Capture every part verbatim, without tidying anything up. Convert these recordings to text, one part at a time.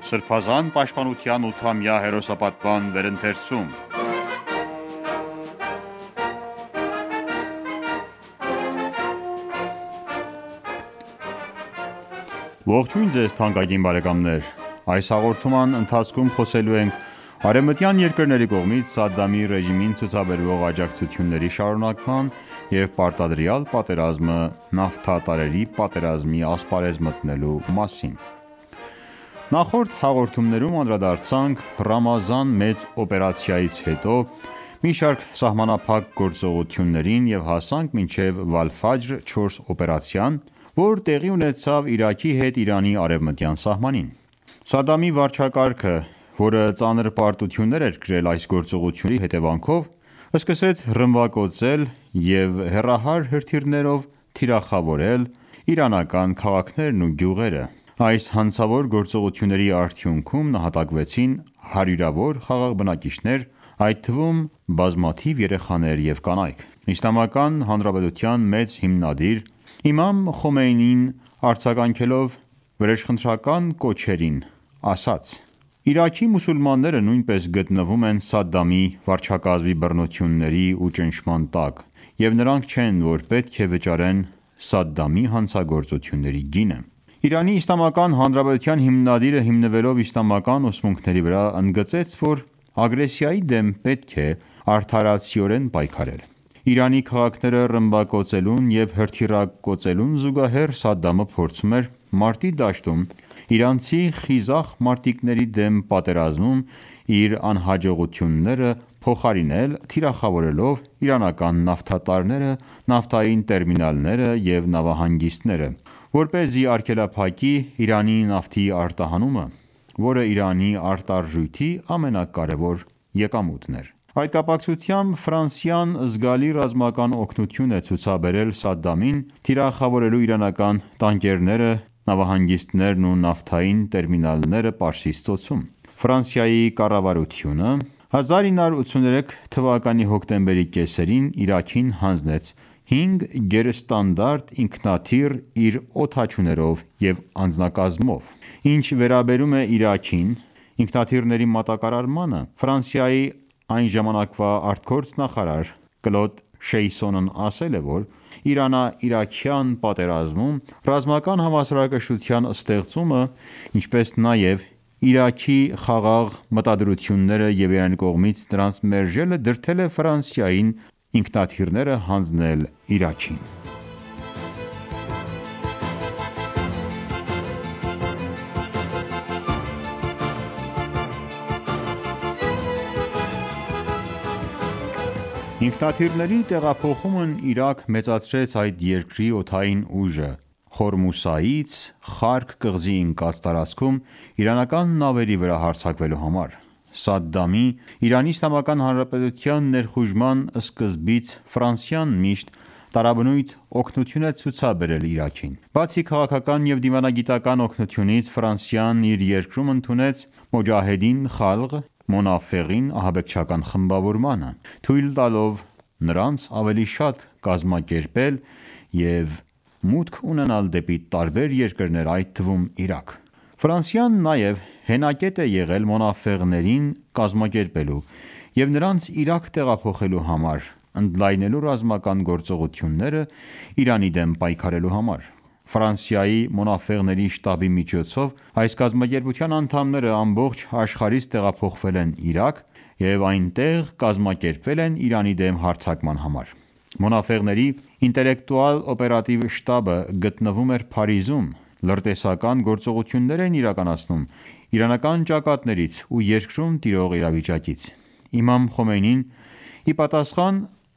Սրբազան պաշտպանության ութամյա հերոսապատման վերընթերցում։ Ողջույն ձեզ թանկագին բարեկամներ: Այս հաղորդման ընթացքում խոսելու ենք արևմտյան երկրների կողմից Սադամի ռեժիմին ցուցաբերվող աջակցությունների շարունակման և պարտադրյալ պատերազմը նավթատարների պատերազմի ասպարեզ մտնելու մասին: Նախորդ հաղորդումներում անդրադարձանք Ռամազան մեծ օպերացիայից հետո մի շարք սահմանափակ գործողություններին և հասանք մինչև Վալ-Ֆաջր չորս օպերացիան, որ տեղի ունեցավ Իրաքի հետ Իրանի արևմտյան սահմանին: Սադամի վարչակարգը, որը ծանր պարտություններ էր կրել այս գործողությունների հետևանքով, սկսեց ռմբակոծել և հեռահար հրթիռներով թիրախավորել իրանական քաղաքներն ու գյուղերը: Այս հանցավոր գործողությունների արդյունքում նահատակվեցին հարյուրավոր խաղաղ բնակիչներ, այդ թվում բազմաթիվ երեխաներ և կանայք: Իսլամական Հանրապետության մեծ հիմնադիր Իմամ Խոմեյնին արձագանքելով վրեժխնդրական կոչերին, ասաց. «Իրաքի մուսուլմանները նույնպես գտնվում են Սադամի վարչակարգի բռնությունների ու ճնշման տակ և նրանք չեն, որ պետք է վճարեն Սադամի հանցագործությունների գինը»: Իրանի Իսլամական Հանրապետության հիմնադիրը հիմնվելով իսլամական ուսմունքների վրա, ընդգծեց, որ ագրեսիայի դեմ պետք է արդարացիորեն պայքարել: Իրանի քաղաքները ռմբակոծելուն և հրթիռակոծելուն զուգահեռ Սադամը փորձում էր մարտի դաշտում իրանցի խիզախ մարտիկների դեմ պատերազմում իր անհաջողությունները փոխարինել թիրախավորելով իրանական նավթատարները, նավթային տերմինալները և նավահանգիստները, որպեսզի արգելափակի Իրանի նավթի արտահանումը, որը Իրանի արտարժույթի ամենակարևոր եկամուտն էր: Այդ կապակցությամբ Ֆրանսիան զգալի ռազմական օգնություն է ցուցաբերել Սադամին թիրախավորելու իրանական տանկերները, նավահանգիստներն ու նավթային տերմինալները Պարսից ծոցում: Ֆրանսիայի կառավարությունը հազար ինը հարյուր ութսուներեք թվականի հոկտեմբերի կեսերին Իրաքին հանձնեց հինգ գերստանդարտ ինքնաթիռ իր օդաչուներով և անձնակազմով: Ինչ վերաբերում է Իրաքին ինքնաթիռների մատակարարմանը, Ֆրանսիայի այն ժամանակվա արտգործնախարար Կլոդ Շեյսոնն ասել է, որ Իրանա-իրաքյան պատերազմում ռազմական հավասարակշռության ստեղծումը, ինչպես նաև Իրաքի խաղաղ մտադրությունները և Իրանի կողմից դրանց մերժելը դրդել է Ֆրանսիային ինքնաթիռները հանձնել Իրաքին: Ինքնաթիռների տեղափոխումն Իրաք մեծացրեց այդ երկրի օդային ուժը Խորմուսայից Խարկ կղզի ընկած տարածքում իրանական նավերի վրա հարձակվելու համար: Սադամի ԻԻՀ ներխուժման սկզբից Ֆրանսիան միշտ տարաբնույթ օգնություն է ցուցաբերել Իրաքին: Բացի քաղաքական և դիվանագիտական օգնությունից, Ֆրանսիան իր երկրում ընդունեց Մոջահեդին Խալղ Մոնաֆեղին ահաբեկչական խմբավորմանը, թույլ տալով նրանց ավելի շատ կազմակերպել և մուտք ունենալ դեպի տարբեր երկրներ, այդ թվում Իրաք: Ֆրանսիան նաև հենակետ է եղել մոնաֆեղներին կազմակերպելու և նրանց Իրաք տեղափոխելու համար, ընդլայնելու ռազմական գործողությունները Իրանի դեմ պայքարելու համար: Ֆրանսիայի մոնաֆեղների շտաբի միջոցով այս կազմակերպության անդամները ամբողջ աշխարհից տեղափոխվել են Իրաք և այնտեղ կազմակերպվել են Իրանի դեմ հարձակման համար: Մոնաֆեղների ինտելեկտուալ-օպերատիվ շտաբը գտնվում էր Փարիզում, լրտեսական գործողություններ էին իրականացնում իրանական ճակատներից ու երկրում տիրող իրավիճակից: Իմամ Խոմեյնին ի պատասխան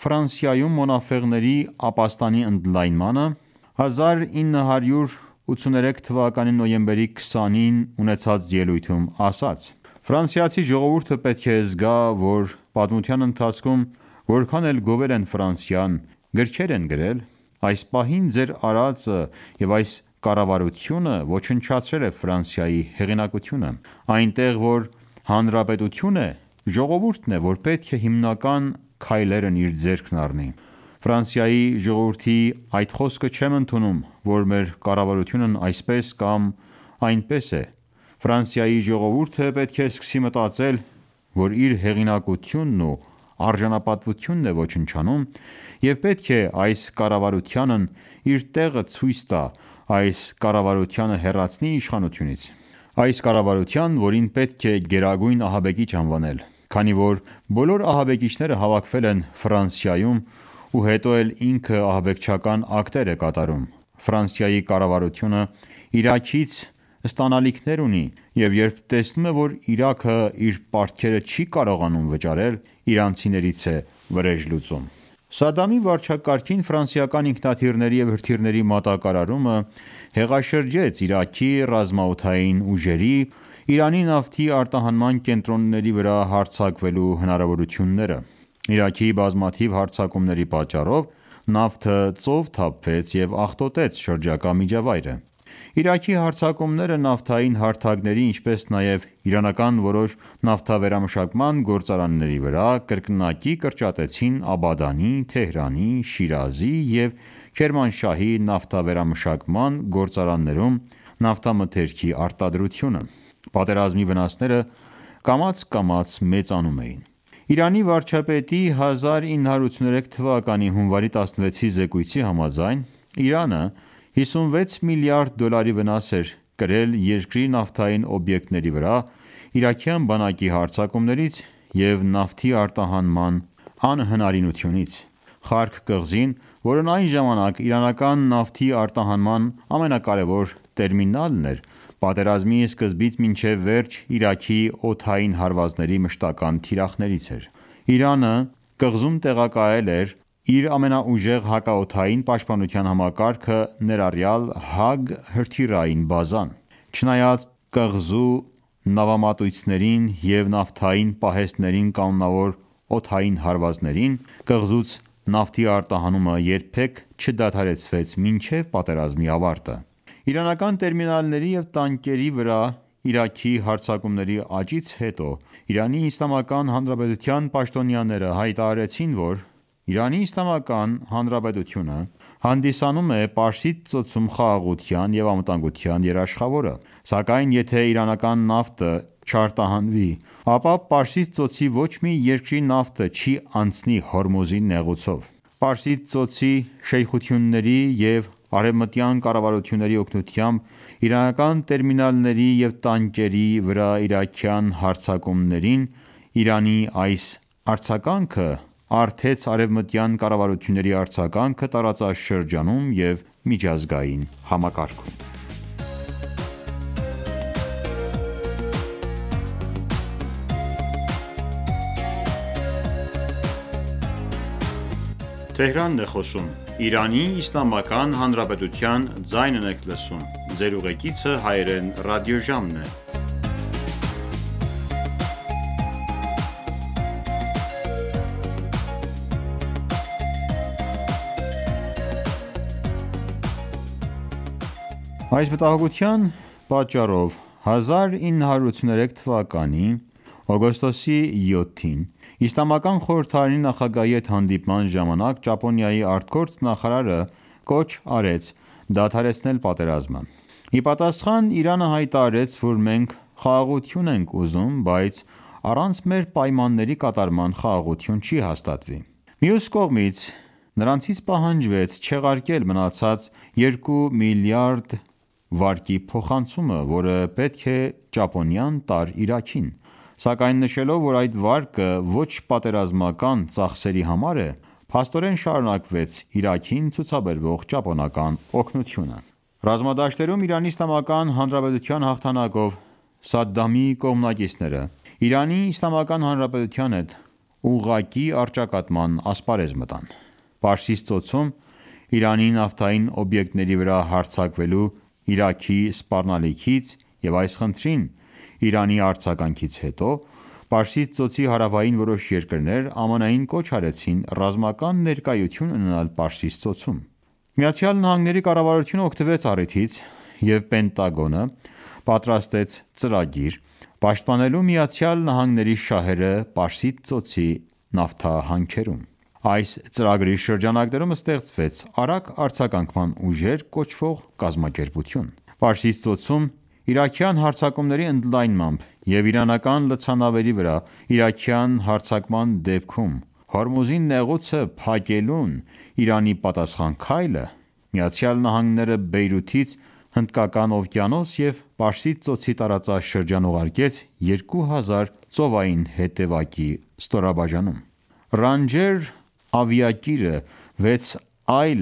Ֆրանսիայում մոնաֆեղների ապաստանի ընդլայնմանը, հազար ինը հարյուր ութսուներեք թվականի նոյեմբերի քսանին ունեցած ելույթում ասաց. «Ֆրանսիացի ժողովուրդը պետք է զգա, որ պատմության ընթացքում որքան էլ գովել են Ֆրանսիան, գրքեր են գրել, այս պահին ձեր արածը և այս կառավարությունը ոչնչացրել է Ֆրանսիայի հեղինակությունը: Այնտեղ որ հանրապետություն է, ժողովուրդն է, որ պետք է հիմնական քայլերն իր ձեռքն առնի: Ֆրանսիայի ժողովրդի այդ խոսքը չեմ ընդունում, որ մեր կառավարությունն այսպես կամ այնպես է: Ֆրանսիայի ժողովուրդը պետք է սկսի մտածել, որ իր հեղինակությունն ու արժանապատվությունն է ոչնչանում և պետք է այս կառավարությանն իր տեղը ցույց տա, այս կառավարությանը հեռացնի իշխանությունից: Այս կառավարության, որին պետք է գերագույն ահաբեկիչ անվանել, քանի որ բոլոր ահաբեկիչները հավաքվել են Ֆրանսիայում ու հետո էլ ինքը ահաբեկչական ակտեր է կատարում: Ֆրանսիայի կառավարությունը Իրաքից ստանալիքներ ունի և երբ տեսնում է, որ Իրաքը իր պարտքերը չի կարողանում վճարել, իրանցիներից է վրեժ լուծում: Սադամի վարչակարգին ֆրանսիական ինքնաթիռների և հրթիռների մատակարարումը հեղաշրջեց Իրաքի ռազմաօդային ուժերի Իրանի նավթի արտահանման կենտրոնների վրա հարձակվելու հնարավորությունները: Իրաքի բազմաթիվ հարձակումների պատճառով նավթը ծով թափվեց և աղտոտեց շրջակա միջավայրը: Իրաքի հարձակումները նավթային հարթակների, ինչպես նաև իրանական որոշ նավթավերամշակման գործարանների վրա կրկնակի կրճատեցին Աբադանի, Թեհրանի, Շիրազի և Քերմանշահի նավթավերամշակման գործարաններում նավթամթերքի արտադրությունը: Պատերազմի վնասները կամաց-կամաց մեծանում էին: Իրանի վարչապետի հազար ինը հարյուր ութսուներեք թվականի հունվարի տասնվեցի զեկույցի համաձայն, Իրանը հիսունվեց միլիարդ դոլարի վնաս էր կրել երկրի նավթային օբյեկտների վրա իրաքյան բանակի հարձակումներից և նավթի արտահանման անհնարինությունից: Խարկ կղզին, որն այն ժամանակ իրանական նավթի արտահանման ամենակարևոր տերմինալն էր, պատերազմի սկզբից մինչև վերջ Իրաքի օդային հարվածների մշտական թիրախներից էր: Իրանը կղզում տեղակայել էր իր ամենաուժեղ հակաօդային պաշտպանության համակարգը ներառյալ Հաաագ հրթիռային բազան: Չնայած կղզու նավամատույցներին և նավթային պահեստներին կանոնավոր օդային հարվածներին, կղզուց նավթի արտահանումը երբեք չդադարեցվեց մինչև պատերազմի ավարտը: Իրանական տերմինալների և տանկերի վրա Իրաքի հարձակումների աճից հետո Իրանի Իսլամական Հանրապետության պաշտոնյաները հայտարարեցին, որ Իրանի Իսլամական Հանրապետությունը հանդիսանում է Պարսից ծոցում խաղաղության և անվտանգության երաշխավորը: Սակայն եթե իրանական նավթը չարտահանվի, ապա Պարսից ծոցի ոչ մի երկրի նավթը չի անցնի Հորմուզի նեղուցով: Պարսից ծոցի շեյխությունների և արևմտյան կառավարությունների օգնությամբ իրանական տերմինալների և տանկերի վրա իրաքյան հարձակումներին Իրանի այս արձագանքը առթեց արևմտյան կառավարությունների արձագանքը տարածաշրջանում և միջազգային համակարգում: Այս մտահոգության պատճառով հազար ինը հարյուր ութսուներեք թվականի օգոստոսի յոթին Իսլամական խորհրդարանի նախագահի հետ հանդիպման ժամանակ Ճապոնիայի ԱԳ նախարարը կոչ արեց դադարեցնել պատերազմը: Ի պատասխան Իրանը հայտարարեց, որ մենք խաղաղություն ենք ուզում, բայց առանց մեր պայմանների կատարման խաղաղություն չի հաստատվի: Մյուս կողմից, նրանցից պահանջվեց չեղարկել մնացած երկու միլիարդ վարկի փոխանցումը, որը պետք է Ճապոնիան տար Իրաքին: Սակայն նշելով, որ այդ վարկը ոչ պատերազմական ծախսերի համար է, փաստորեն շարունակվեց Իրաքին ցուցաբերվող ճապոնական օգնությունը: Ռազմադաշտերում Իրանի Իսլամական Հանրապետության հաղթանակով Սադամի կողմնակիցները Իրանի Իսլամական Հանրապետության հետ ուղղակի առճակատման ասպարեզ մտան: Պարսից ծոցում Իրանի նավթային օբյեկտների վրա հարձակվելու Իրաքի սպառնալիքից և այս խնդրին Իրանի արձագանքից հետո, Պարսից ծոցի հարավային որոշ երկրներ ԱՄՆ-ին կոչ արեցին ռազմական ներկայություն ունենալ Պարսից ծոցում: ԱՄՆ կառավարությունը օգտվեց առիթից և Պենտագոնը պատրաստեց ծրագիր՝ պաշտպանելու ԱՄՆ շահերը Պարսից ծոցի նավթահանքերում: Այս ծրագրի շրջանակներում ստեղծվեց Արագ արձագանքման ուժեր կոչվող կազմակերպություն: Պարսից ծոցում իրաքյան հարձակումների ընդլայնմամբ և իրանական լցանավերի վրա իրաքյան հարձակման դեպքում Հորմուզի նեղուցը փակելուն Իրանի պատասխան քայլը, ԱՄՆ-ը Բեյրութից Հնդկական օվկիանոս և Պարսից ծոցի տարածաշրջան ուղարկեց երկու հազար ծովային հետևակի ստորաբաժանում: Ռանջեր ավիակիրը վեց այլ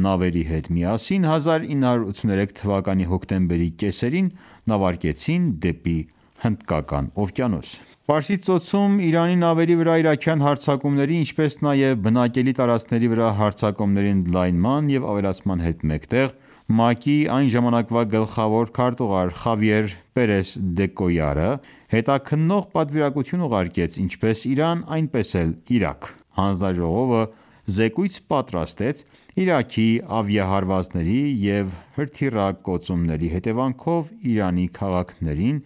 նավերի հետ միասին հազար ինը հարյուր ութսուներեք թվականի հոկտեմբերի կեսերին նավարկեցին դեպի Հնդկական օվկիանոս: Պարսից ծոցում Իրանի նավերի վրա իրաքյան հարձակումների, ինչպես նաև բնակելի տարածքների վրա հարձակումների ընդլայնման և ավելացման հետ մեկտեղ, ՄԱԿ-ի այն ժամանակվա գլխավոր քարտուղար Խավիեր Պերես դե Կոյարը հետաքննող պատվիրակություն ուղարկեց ինչպես Իրան, այնպես էլ Իրաք: Հանձնաժողովը զեկույց պատրաստեց Իրաքի ավիահարվածների և հրթիռակոծումների հետևանքով Իրանի քաղաքներին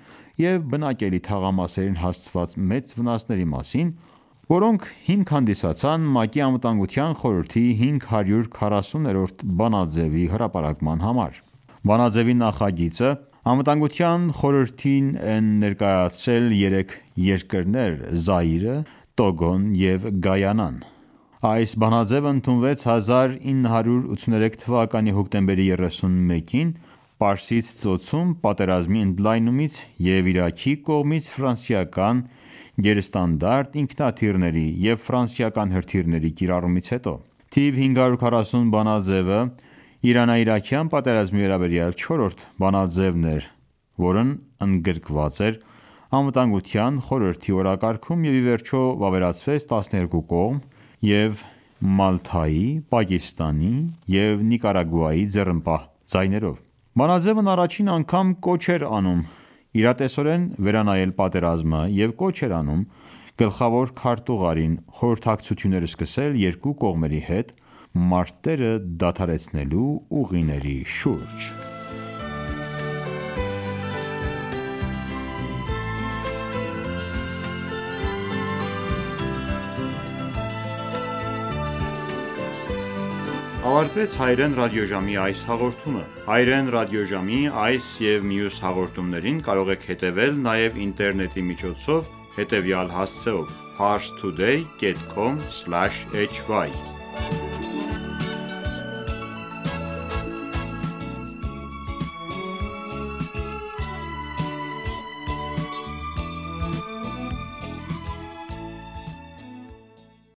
և բնակելի թաղամասերին հասցված մեծ վնասների մասին, որոնք հիմք հանդիսացան ՄԱԿ-ի Անվտանգության խորհրդի հինգ հարյուր քառասուներորդ բանաձեւի հրապարակման համար: Բանաձեւի նախագիծը Անվտանգության խորհրդին են ներկայացրել երեք երկրներ՝ Զաիրը, Տոգոն և Գայանան: Այս բանաձևը ընդունվեց հազար ինը հարյուր ութսուներեք թվականի հոկտեմբերի երեսունմեկին Պարսից ծոցում պատերազմի ընդլայնումից և Իրաքի կողմից ֆրանսիական գերստանդարտ ինքնաթիռների և ֆրանսիական հրթիռների կիրառումից հետո: Թիվ հինգ հարյուր քառասուն բանաձևը Իրանա-իրաքյան պատերազմի վերաբերյալ չորրորդ բանաձևն էր, որն ընդգրկված էր Անվտանգության խորհրդի օրակարգում և ի վերջո վավերացվեց տասներկու կողմ և Մալթայի, Պակիստանի և Նիկարագուայի ձեռնպահ ձայներով: Բանաձևն առաջին անգամ կոչ էր անում իրատեսորեն վերանայել պատերազմը և կոչ էր անում գլխավոր քարտուղարին խորհրդակցություններ սկսել երկու կողմերի հետ մարտերը դադարեցնելու ուղիների շուրջ: Ավարտվեց հայերեն ռադիոժամի այս հաղորդումը: Հայերեն ռադիոժամի այս և մյուս հաղորդումներին կարող եք հետևել նաև ինտերնետի միջոցով հետևյալ հասցեով՝ parstoday.com/hy